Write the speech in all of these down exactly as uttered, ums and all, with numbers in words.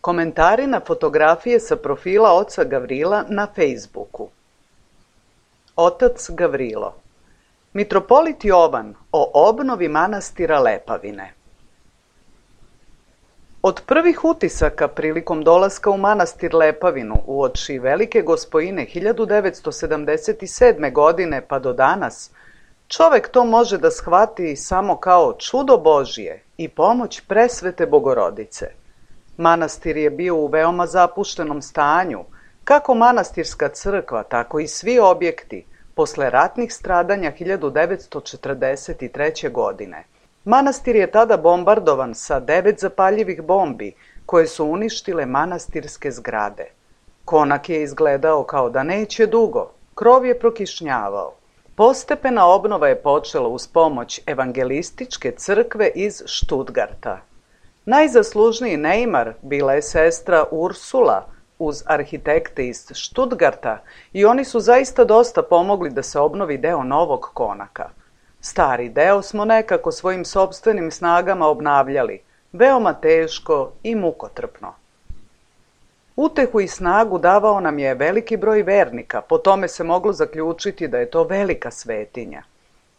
Komentari na fotografije sa profila oca Gavrila na Fejsbuku. Otac Gavrilo. Mitropolit Jovan o obnovi manastira Lepavine. Od prvih utisaka prilikom dolaska u manastir Lepavinu uoči Velike Gospojine hiljadu devetsto sedamdeset sedme. godine pa do danas, čovek to može da shvati samo kao čudo Božije i pomoć presvete Bogorodice. Manastir je bio u veoma zapuštenom stanju, kako manastirska crkva, tako i svi objekti, posle ratnih stradanja hiljadu devetsto četrdeset treće. godine. Manastir je tada bombardovan sa devet zapaljivih bombi, koje su uništile manastirske zgrade. Konak je izgledao kao da neće dugo, krov je prokišnjavao. Postepena obnova je počela uz pomoć evangelističke crkve iz Štutgarta. Najzaslužniji neimar bila je sestra Ursula uz arhitekte iz Štutgarta i oni su zaista dosta pomogli da se obnovi deo novog konaka. Stari deo smo nekako svojim sopstvenim snagama obnavljali, veoma teško i mukotrpno. Utehu i snagu davao nam je veliki broj vernika, po tome se moglo zaključiti da je to velika svetinja.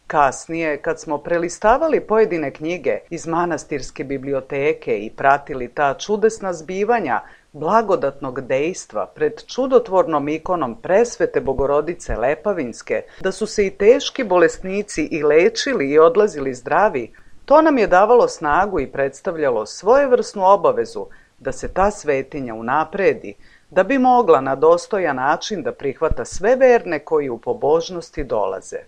Kasnije, kad smo prelistavali pojedine knjige iz manastirske biblioteke i pratili ta čudesna zbivanja blagodatnog dejstva pred čudotvornom ikonom presvete Bogorodice Lepavinske, da su se i teški bolesnici i lečili i odlazili zdravi, to nam je davalo snagu i predstavljalo svojevrsnu obavezu da se ta svetinja unapredi, da bi mogla na dostojan način da prihvata sve verne koji u pobožnosti dolaze.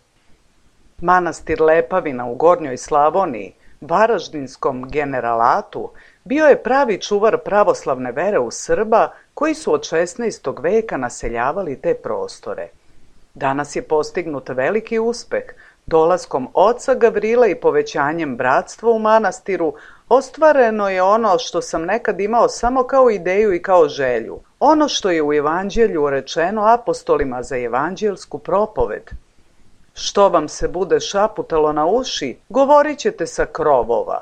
Manastir Lepavina u Gornjoj Slavoniji, Varaždinskom generalatu, bio je pravi čuvar pravoslavne vere u Srba koji su od šesnaestog. veka naseljavali te prostore. Danas je postignut veliki uspeh. Dolaskom oca Gavrila i povećanjem bratstva u manastiru ostvareno je ono što sam nekad imao samo kao ideju i kao želju. Ono što je u evanđelju rečeno apostolima za evanđelsku propoved. Što vam se bude šaputalo na uši, govorit ćete sa krovova.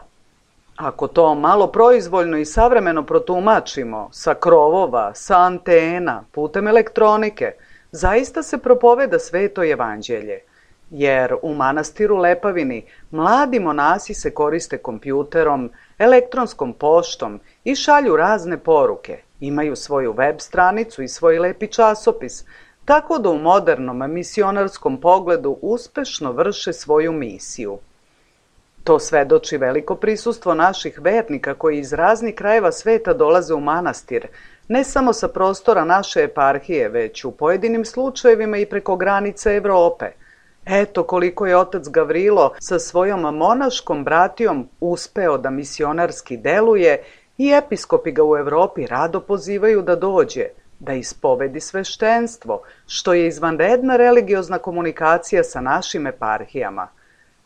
Ako to malo proizvoljno i savremeno protumačimo, sa krovova, sa antena, putem elektronike, zaista se propoveda sveto evanđelje. Jer u manastiru Lepavini mladi monasi se koriste kompjuterom, elektronskom poštom i šalju razne poruke. Imaju svoju web stranicu i svoj lepi časopis, tako da u modernom misionarskom pogledu uspešno vrše svoju misiju. To svedoči veliko prisustvo naših vernika koji iz raznih krajeva sveta dolaze u manastir, ne samo sa prostora naše eparhije, već u pojedinim slučajevima i preko granica Evrope. Eto koliko je otac Gavrilo sa svojom monaškom bratijom uspeo da misionarski deluje i episkopi ga u Evropi rado pozivaju da dođe, da ispovedi sveštenstvo, što je izvanredna religiozna komunikacija sa našim eparhijama.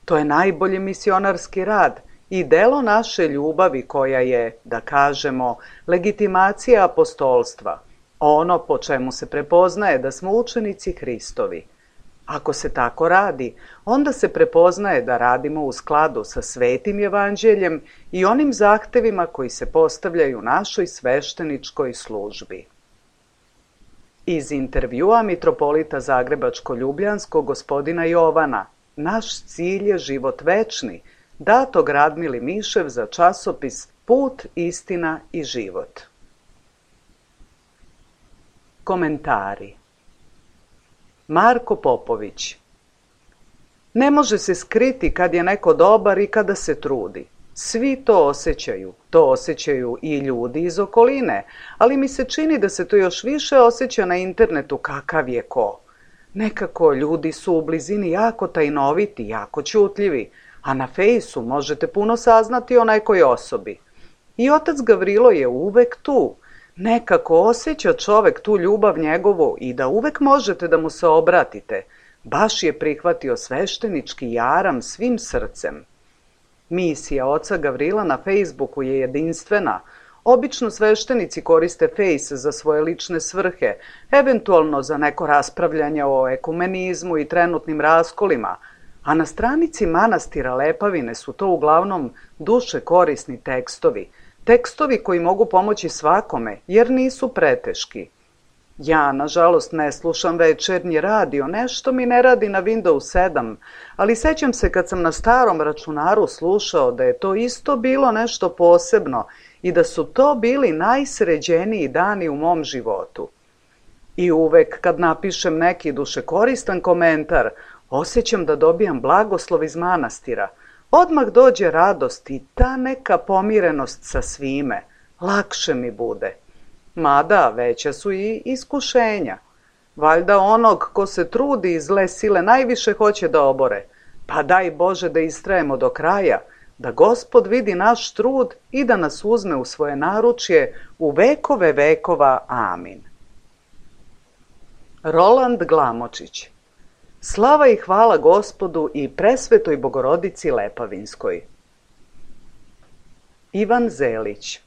To je najbolji misionarski rad i delo naše ljubavi koja je, da kažemo, legitimacija apostolstva, ono po čemu se prepoznaje da smo učenici Hristovi. Ako se tako radi, onda se prepoznaje da radimo u skladu sa svetim evanđeljem i onim zahtevima koji se postavljaju našoj svešteničkoj službi. Iz intervjua mitropolita Zagrebačko-Ljubljanskog gospodina Jovana, naš cilj je život večni, datog Radmili Mišev za časopis Put, istina i život. Komentari. Marko Popović. Ne može se skriti kad je neko dobar i kada se trudi. Svi to osjećaju, to osjećaju i ljudi iz okoline, ali mi se čini da se to još više osjeća na internetu kakav je ko. Nekako ljudi su u blizini jako tajnoviti, jako ćutljivi, a na fejsu možete puno saznati o nekoj osobi. I otac Gavrilo je uvek tu. Nekako osjeća čovek tu ljubav njegovu i da uvek možete da mu se obratite. Baš je prihvatio sveštenički jaram svim srcem. Misija oca Gavrila na Fejsbuku je jedinstvena. Obično sveštenici koriste Fejs za svoje lične svrhe, eventualno za neko raspravljanje o ekumenizmu i trenutnim raskolima, a na stranici manastira Lepavine su to uglavnom duše korisni tekstovi, Tekstovi koji mogu pomoći svakome, jer nisu preteški. Ja, nažalost, ne slušam večernji radio, nešto mi ne radi na Windows sedam, ali sećam se kad sam na starom računaru slušao da je to isto bilo nešto posebno i da su to bili najsređeniji dani u mom životu. I uvek kad napišem neki dušekoristan komentar, osjećam da dobijam blagoslov iz manastira. Odmah dođe radost i ta neka pomirenost sa svime. Lakše mi bude. Mada veća su i iskušenja. Valjda onog ko se trudi i zle sile najviše hoće da obore. Pa daj Bože da istrajemo do kraja, da Gospod vidi naš trud i da nas uzme u svoje naručje u vekove vekova. Amin. Roland Glamočić. Slava i hvala Gospodu i presvetoj Bogorodici Lepavinskoj. Ivan Zelić.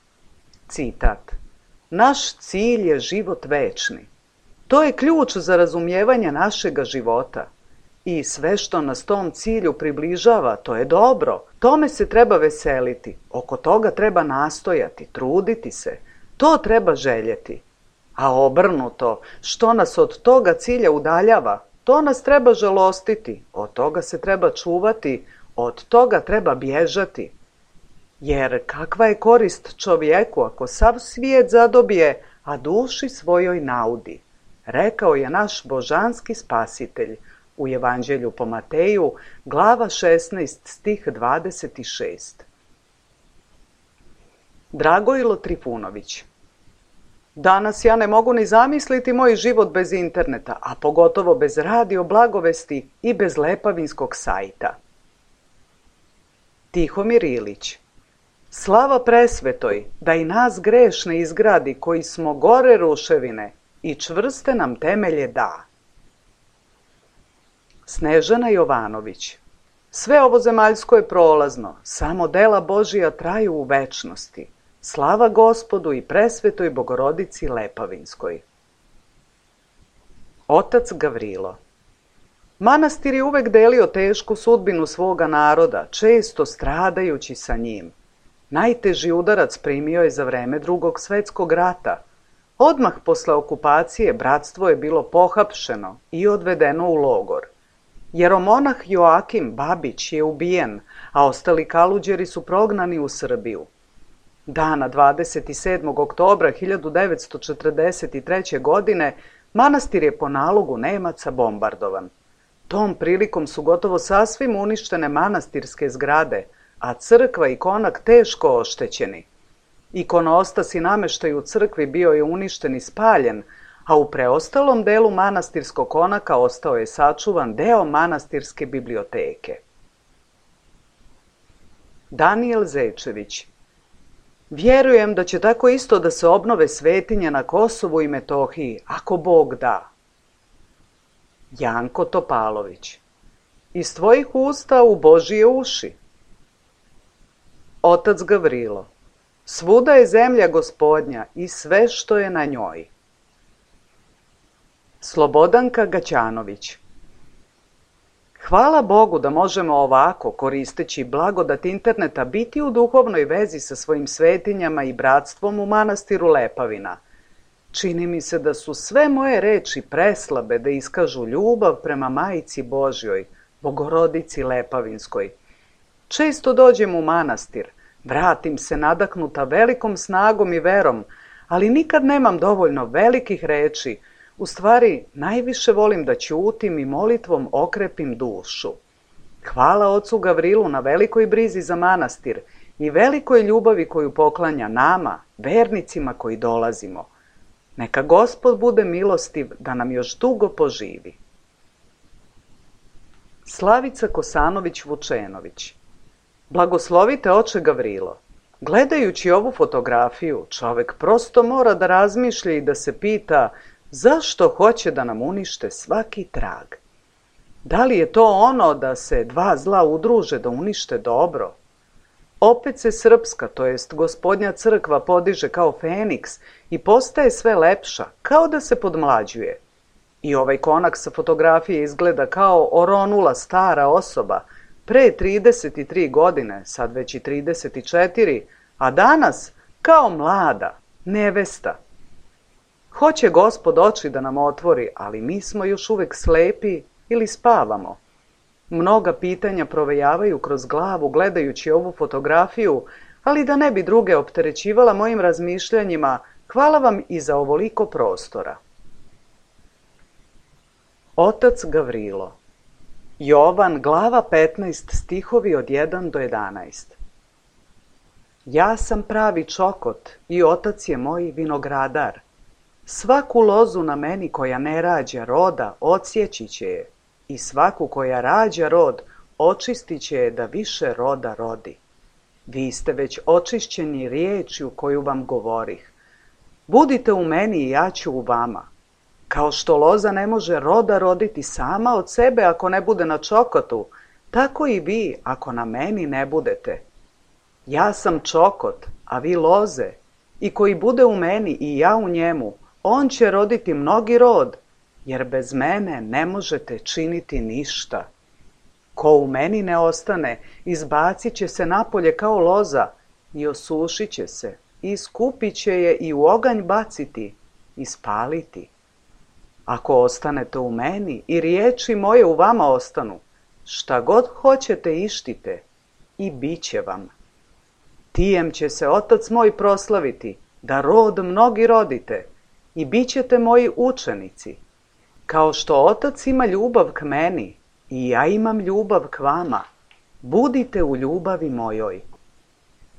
Citat. Naš cilj je život večni. To je ključ za razumijevanje našega života. I sve što nas tom cilju približava, to je dobro. Tome se treba veseliti. Oko toga treba nastojati, truditi se. To treba željeti. A obrnuto, što nas od toga cilja udaljava, to nas treba žalostiti, od toga se treba čuvati, od toga treba bježati. Jer kakva je korist čovjeku ako sav svijet zadobije, a duši svojoj naudi, rekao je naš božanski spasitelj u Evanđelju po Mateju, glava šesnaest, stih dvadeset šest. Dragojlo Trifunović. Danas ja ne mogu ni zamisliti moj život bez interneta, a pogotovo bez radio blagovesti i bez lepavinskog sajta. Tihomir Ilić. Slava presvetoj, da i nas grešne izgradi koji smo gore ruševine i čvrste nam temelje da. Snežana Jovanović. Sve ovo zemaljsko je prolazno, samo dela Božija traju u večnosti. Slava Gospodu i presvetoj Bogorodici Lepavinskoj. Otac Gavrilo. Manastir je uvek delio tešku sudbinu svoga naroda, često stradajući sa njim. Najteži udarac primio je za vreme Drugog svetskog rata. Odmah posle okupacije bratstvo je bilo pohapšeno i odvedeno u logor. Jeromonah Joakim Babić je ubijen, a ostali kaluđeri su prognani u Srbiju. Dana dvadeset sedmog oktobra hiljadu devetsto četrdeset treće. godine manastir je po nalogu Nemaca bombardovan. Tom prilikom su gotovo sasvim uništene manastirske zgrade, a crkva i konak teško oštećeni. Ikonostas i nameštaj u crkvi bio je uništen i spaljen, a u preostalom delu manastirskog konaka ostao je sačuvan deo manastirske biblioteke. Danijel Zečević. Vjerujem da će tako isto da se obnove svetinje na Kosovu i Metohiji, ako Bog da. Janko Topalović. Iz tvojih usta u Božije uši. Otac Gavrilo. Svuda je zemlja Gospodnja i sve što je na njoj. Slobodanka Gaćanović. Hvala Bogu da možemo ovako, koristeći blagodat interneta, biti u duhovnoj vezi sa svojim svetinjama i bratstvom u manastiru Lepavina. Čini mi se da su sve moje reči preslabe da iskažu ljubav prema Majici Božjoj, Bogorodici Lepavinskoj. Često dođem u manastir, vratim se nadahnuta velikom snagom i verom, ali nikad nemam dovoljno velikih reči. U stvari, najviše volim da ćutim i molitvom okrepim dušu. Hvala ocu Gavrilu na velikoj brizi za manastir i velikoj ljubavi koju poklanja nama, vernicima koji dolazimo. Neka Gospod bude milostiv da nam još dugo poživi. Slavica Kosanović-Vučenović. Blagoslovite oče Gavrilo. Gledajući ovu fotografiju, čovek prosto mora da razmišlja i da se pita zašto hoće da nam unište svaki trag. Da li je to ono da se dva zla udruže da unište dobro? Opet se srpska, to jest Gospodnja crkva, podiže kao Feniks i postaje sve lepša, kao da se podmlađuje. I ovaj konak sa fotografije izgleda kao oronula stara osoba, pre trideset tri godine, sad već i trideset četiri, a danas kao mlada, nevesta. Hoće Gospod oči da nam otvori, ali mi smo još uvek slepi ili spavamo. Mnoga pitanja provejavaju kroz glavu gledajući ovu fotografiju, ali da ne bi druge opterećivala mojim razmišljanjima, hvala vam i za ovoliko prostora. Otac Gavrilo. Jovan, glava petnaest, stihovi od jedan do jedanaest. Ja sam pravi čokot i otac je moj vinogradar. Svaku lozu na meni koja ne rađa roda, odsjeći će je, i svaku koja rađa rod, očistit će je da više roda rodi. Vi ste već očišćeni riječju koju vam govorih. Budite u meni i ja ću u vama. Kao što loza ne može roda roditi sama od sebe ako ne bude na čokotu, tako i vi ako na meni ne budete. Ja sam čokot, a vi loze, i koji bude u meni i ja u njemu, on će roditi mnogi rod, jer bez mene ne možete činiti ništa. Ko u meni ne ostane, izbacit će se napolje kao loza i osušit će se, i skupit će je i u oganj baciti i spaliti. Ako ostanete u meni i riječi moje u vama ostanu, šta god hoćete ištite i bit će vam. Tijem će se Otac moj proslaviti, da rod mnogi rodite, i bit ćete moji učenici. Kao što Otac ima ljubav k meni, i ja imam ljubav k vama, budite u ljubavi mojoj.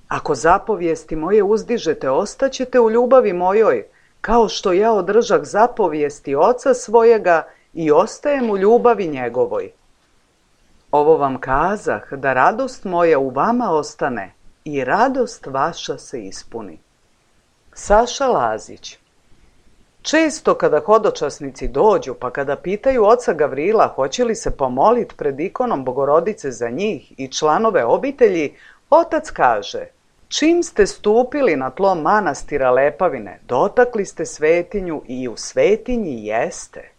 Ako zapovijesti moje uzdižete, ostaćete u ljubavi mojoj, kao što ja održah zapovijesti Oca svojega i ostajem u ljubavi njegovoj. Ovo vam kazah, da radost moja u vama ostane i radost vaša se ispuni. Saša Lazić. Često kada hodočasnici dođu, pa kada pitaju oca Gavrila hoće li se pomolit pred ikonom Bogorodice za njih i članove obitelji, otac kaže: čim ste stupili na tlo manastira Lepavine, dotakli ste svetinju i u svetinji jeste.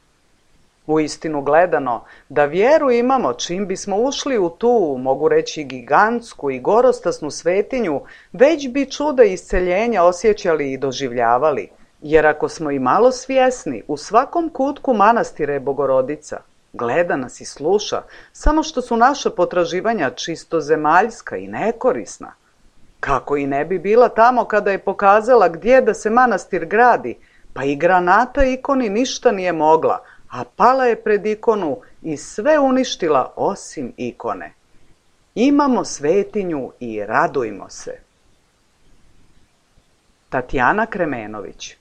Uistinu gledano, da vjeru imamo, čim bismo ušli u tu, mogu reći, gigantsku i gorostasnu svetinju, već bi čuda isceljenja osjećali i doživljavali. Jer ako smo i malo svjesni, u svakom kutku manastira je Bogorodica. Gleda nas i sluša, samo što su naša potraživanja čisto zemaljska i nekorisna. Kako i ne bi bila tamo kada je pokazala gdje da se manastir gradi, pa i granata ikoni ništa nije mogla, a pala je pred ikonu i sve uništila osim ikone. Imamo svetinju i radujmo se. Tatjana Kremenović.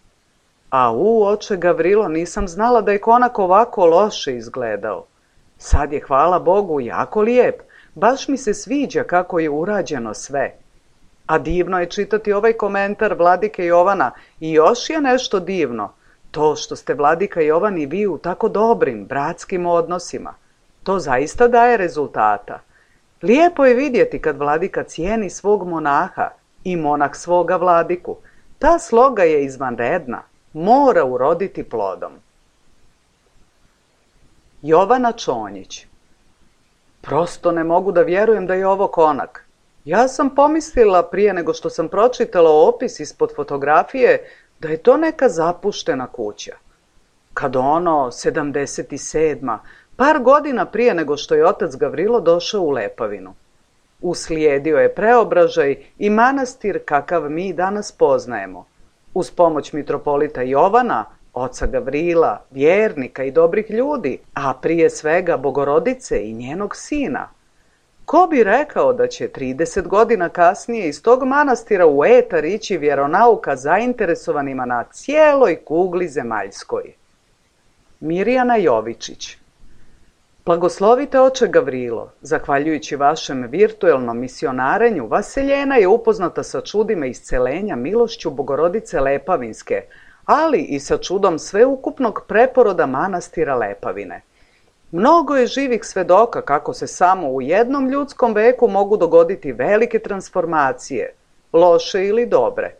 A u, oče Gavrilo, nisam znala da je konak ovako loše izgledao. Sad je, hvala Bogu, jako lijep, baš mi se sviđa kako je urađeno sve. A divno je čitati ovaj komentar vladike Jovana i još je nešto divno, to što ste vladika Jovan i vi u tako dobrim, bratskim odnosima. To zaista daje rezultata. Lijepo je vidjeti kad vladika cijeni svog monaha i monah svoga vladiku. Ta sloga je izvanredna, mora uroditi plodom. Jovana Čonjić. Prosto ne mogu da vjerujem da je ovo konak. Ja sam pomislila prije nego što sam pročitala opis ispod fotografije da je to neka zapuštena kuća. Kad ono, sedamdeset sedma, par godina prije nego što je otac Gavrilo došao u Lepavinu. Uslijedio je preobražaj i manastir kakav mi danas poznajemo. Uz pomoć mitropolita Jovana, oca Gavrila, vjernika i dobrih ljudi, a prije svega Bogorodice i njenog sina. Ko bi rekao da će trideset godina kasnije iz tog manastira u etar ići vjeronauka zainteresovanima na cijeloj kugli zemaljskoj? Mirjana Jovičić. Blagoslovite oče Gavrilo, zahvaljujući vašem virtuelnom misionarenju, Vaseljena je upoznata sa čudima iscelenja milošću Bogorodice Lepavinske, ali i sa čudom sveukupnog preporoda manastira Lepavine. Mnogo je živih svedoka kako se samo u jednom ljudskom veku mogu dogoditi velike transformacije, loše ili dobre.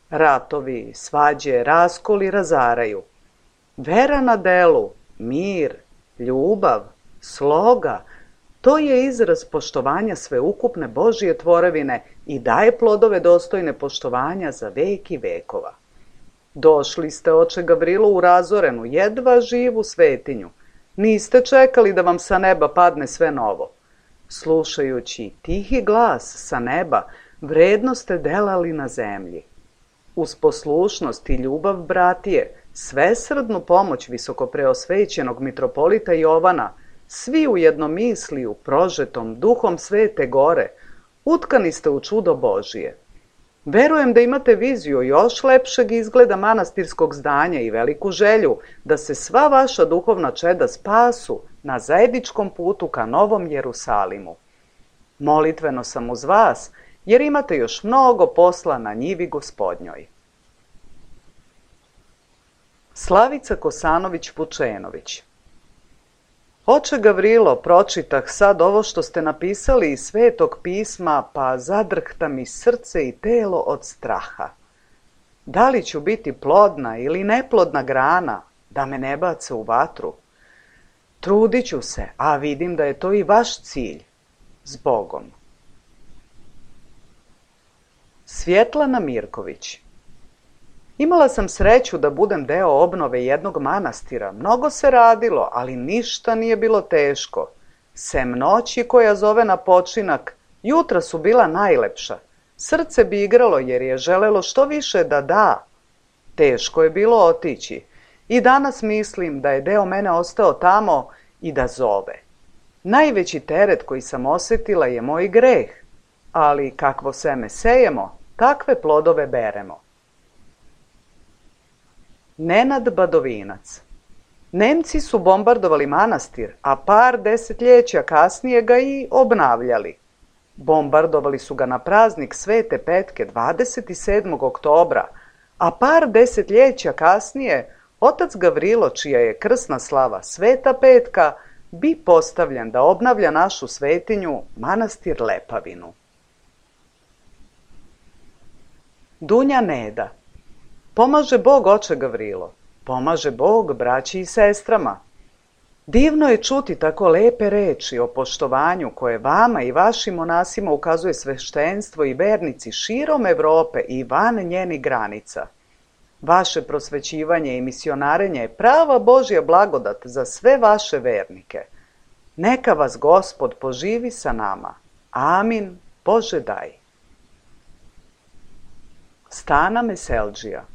Ratovi, svađe, raskoli razaraju. Vera na delu, mir, ljubav, sloga, To je izraz poštovanja sveukupne Božje tvorevine i daje plodove dostojne poštovanja za vek i vekova. Došli ste, oče Gavrilo, u razorenu, jedva živu svetinju. Niste čekali da vam sa neba padne sve novo. Slušajući tihi glas sa neba, vredno ste delali na zemlji. Uz poslušnost i ljubav bratije, svesrdnu pomoć visokopreosvećenog mitropolita Jovana, svi u jednomisliju, prožetom duhom Svete Gore, utkani ste u čudo Božije. Verujem da imate viziju još lepšeg izgleda manastirskog zdanja i veliku želju da se sva vaša duhovna čeda spasu na zajedničkom putu ka Novom Jerusalimu. Molitveno sam uz vas, jer imate još mnogo posla na njivi Gospodnjoj. Slavica Kosanović-Vučenović. Oče Gavrilo, pročitah sad ovo što ste napisali iz Svetog pisma, pa zadrhta mi srce i telo od straha. Da li ću biti plodna ili neplodna grana, da me ne bace u vatru? Trudit ću se, a vidim da je to i vaš cilj. S Bogom. Svjetlana Mirković. Imala sam sreću da budem deo obnove jednog manastira. Mnogo se radilo, ali ništa nije bilo teško. Sem noći koja zove na počinak, jutra su bila najlepša. Srce bi igralo jer je želelo što više da da. Teško je bilo otići. I danas mislim da je deo mene ostao tamo i da zove. Najveći teret koji sam osjetila je moj greh, ali kakvo seme sejemo, takve plodove beremo. Nenad Badovinac. Nemci su bombardovali manastir, a par desetljeća kasnije ga i obnavljali. Bombardovali su ga na praznik Svete Petke dvadeset sedmog oktobra, a par desetljeća kasnije otac Gavrilo, čija je krsna slava Sveta Petka, bi postavljen da obnavlja našu svetinju, manastir Lepavinu. Dunja Neda. Pomaže Bog, oče Gavrilo, pomaže Bog braći i sestrama. Divno je čuti tako lepe reči o poštovanju koje vama i vašim monasima ukazuje sveštenstvo i vernici širom Evrope i van njenih granica. Vaše prosvećivanje i misionarenje je prava Božja blagodat za sve vaše vernike. Neka vas Gospod poživi sa nama. Amin. Bože daj. Stana Meseldžija.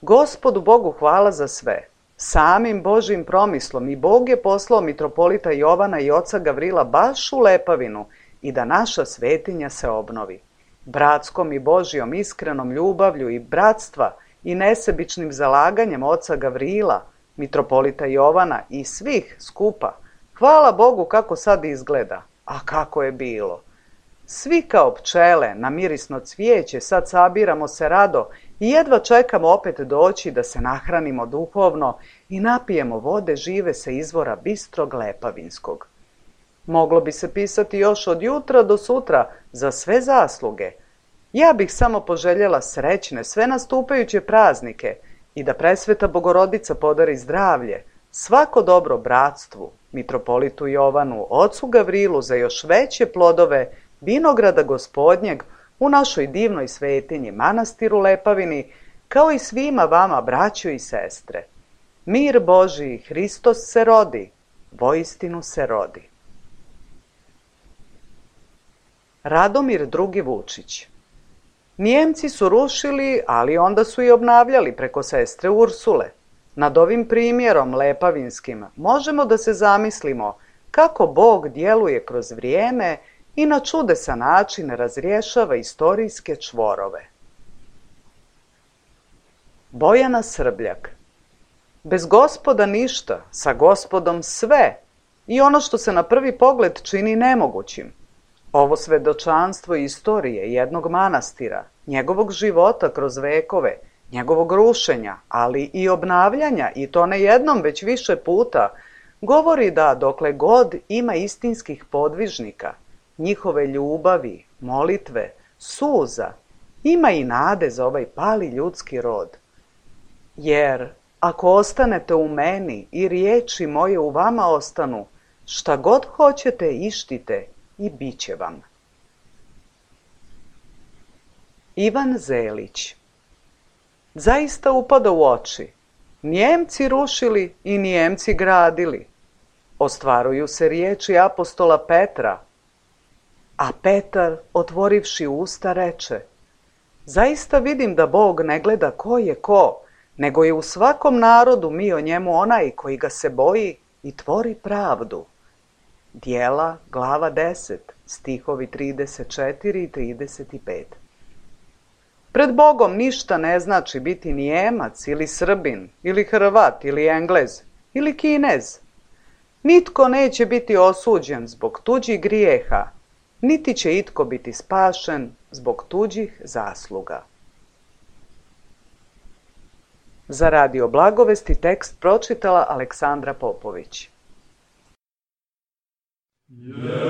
Gospodu Bogu hvala za sve. Samim Božjim promislom i Bog je poslao mitropolita Jovana i oca Gavrila baš u Lepavinu i da naša svetinja se obnovi. Bratskom i Božjom iskrenom ljubavlju i bratstva i nesebičnim zalaganjem oca Gavrila, mitropolita Jovana i svih skupa, hvala Bogu kako sad izgleda, a kako je bilo. Svi kao pčele na mirisno cvijeće sad sabiramo se rado i jedva čekamo opet doći da se nahranimo duhovno i napijemo vode žive sa izvora bistrog Lepavinskog. Moglo bi se pisati još od jutra do sutra za sve zasluge. Ja bih samo poželjela srećne sve nastupajuće praznike i da presveta Bogorodica podari zdravlje, svako dobro bratstvu, mitropolitu Jovanu, ocu Gavrilu za još veće plodove vinograda Gospodnjeg u našoj divnoj svetinji, manastiru Lepavini, kao i svima vama, braćo i sestre. Mir Božiji, Hristos se rodi, voistinu se rodi. Radomir drugi Vučić. Nijemci su rušili, ali onda su i obnavljali preko sestre Ursule. Nad ovim primjerom lepavinskim možemo da se zamislimo kako Bog djeluje kroz vrijeme i na čudesan način razrješava istorijske čvorove. Bojana Srbljak. Bez Gospoda ništa, sa Gospodom sve i ono što se na prvi pogled čini nemogućim. Ovo svedočanstvo istorije jednog manastira, njegovog života kroz vekove, njegovog rušenja, ali i obnavljanja, i to ne jednom već više puta, govori da dokle god ima istinskih podvižnika, njihove ljubavi, molitve, suza, ima i nade za ovaj pali ljudski rod. Jer ako ostanete u meni i riječi moje u vama ostanu, Šta god hoćete ištite i bit će vam. Ivan Zelić. Zaista upada u oči. Nijemci rušili i Nijemci gradili. Ostvaruju se riječi apostola Petra. A Petar, otvorivši usta, reče: zaista vidim da Bog ne gleda ko je ko, nego je u svakom narodu mio njemu onaj koji ga se boji i tvori pravdu. Djela, glava deset, stihovi trideset četiri i trideset pet. Pred Bogom ništa ne znači biti Nijemac ili Srbin ili Hrvat ili Englez ili Kinez. Nitko neće biti osuđen zbog tuđih grijeha, niti će itko biti spašen zbog tuđih zasluga. Za Radio Blagovesti tekst pročitala Aleksandra Popović. Amen.